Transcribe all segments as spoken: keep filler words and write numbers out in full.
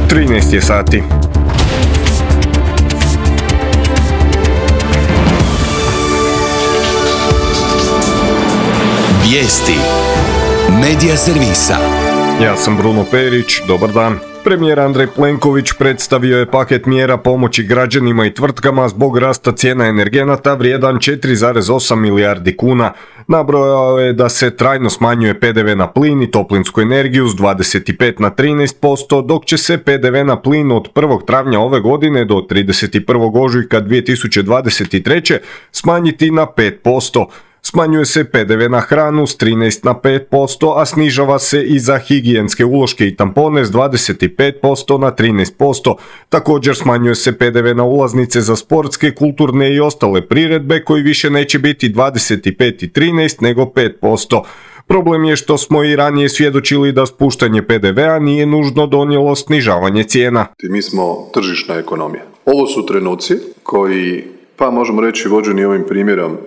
trinaest je sati. Vijesti Medija servisa. Ja sam Bruno Perić, dobar dan. Premijer Andrej Plenković predstavio je paket mjera pomoći građanima i tvrtkama zbog rasta cijena energenata vrijedan četiri zarez osam milijardi kuna. Nabrojao je da se trajno smanjuje pe de ve na plin i toplinsku energiju s dvadeset pet na trinaest posto, dok će se pe de ve na plin od prvog travnja ove godine do trideset prvog ožujka dvije tisuće dvadeset treće smanjiti na pet posto. Smanjuje se pe de ve na hranu s trinaest na pet posto, a snižava se i za higijenske uloške i tampone s dvadeset pet posto na trinaest posto. Također smanjuje se pe de ve na ulaznice za sportske, kulturne i ostale priredbe koji više neće biti dvadeset pet i trinaest nego pet posto. Problem je što smo i ranije svjedočili da spuštanje pe de vea nije nužno donijelo snižavanje cijena. Mi smo tržišna ekonomija. Ovo su trenuci koji, pa možemo reći vođeni ovim primjerom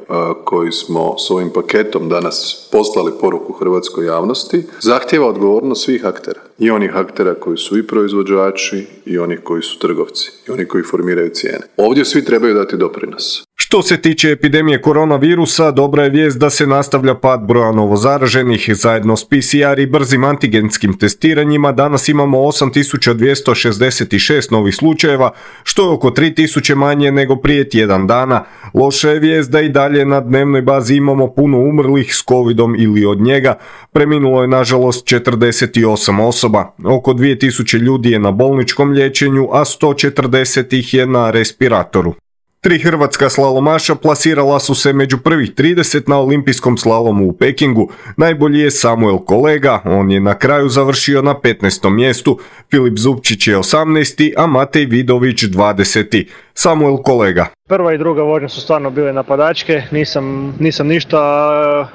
koji smo s ovim paketom danas poslali poruku hrvatskoj javnosti, zahtijeva odgovornost svih aktera. I onih aktera koji su i proizvođači, i onih koji su trgovci, i oni koji formiraju cijene. Ovdje svi trebaju dati doprinos. Što se tiče epidemije koronavirusa, dobra je vijest da se nastavlja pad broja novozaraženih. Zajedno s pe ce er i brzim antigenskim testiranjima danas imamo osam tisuća dvjesto šezdeset šest novih slučajeva, što je oko tri tisuće manje nego prije tjedan dana. Loša je vijest da i dalje na dnevnoj bazi imamo puno umrlih s covidom ili od njega. Preminulo je nažalost četrdeset osam osoba. Oko dvije tisuće ljudi je na bolničkom liječenju, a sto četrdeset ih je na respiratoru. Tri hrvatska slalomaša plasirala su se među prvih trideset na olimpijskom slalomu u Pekingu. Najbolji je Samuel Kolega, on je na kraju završio na petnaestom mjestu, Filip Zupčić je osamnaesti, a Matej Vidović dvadeseti. Samuel Kolega. Prva i druga vožnja su stvarno bile napadačke, nisam, nisam ništa,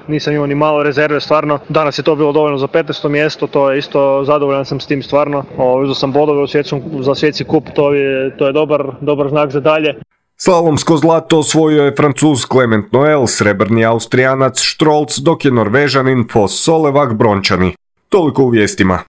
nisam imao ni malo rezerve stvarno. Danas je to bilo dovoljno za petnaesto mjesto, to je isto, zadovoljan sam s tim stvarno. Uzeo sam bodove u svjetskom, za svjetski kup, to je, to je dobar, dobar znak za dalje. Slalomsko zlato osvojio je Francuz Clement Noel, srebrni Austrijanac Strolc, dok je Norvežanin Foss Solevak brončani. Toliko u vijestima.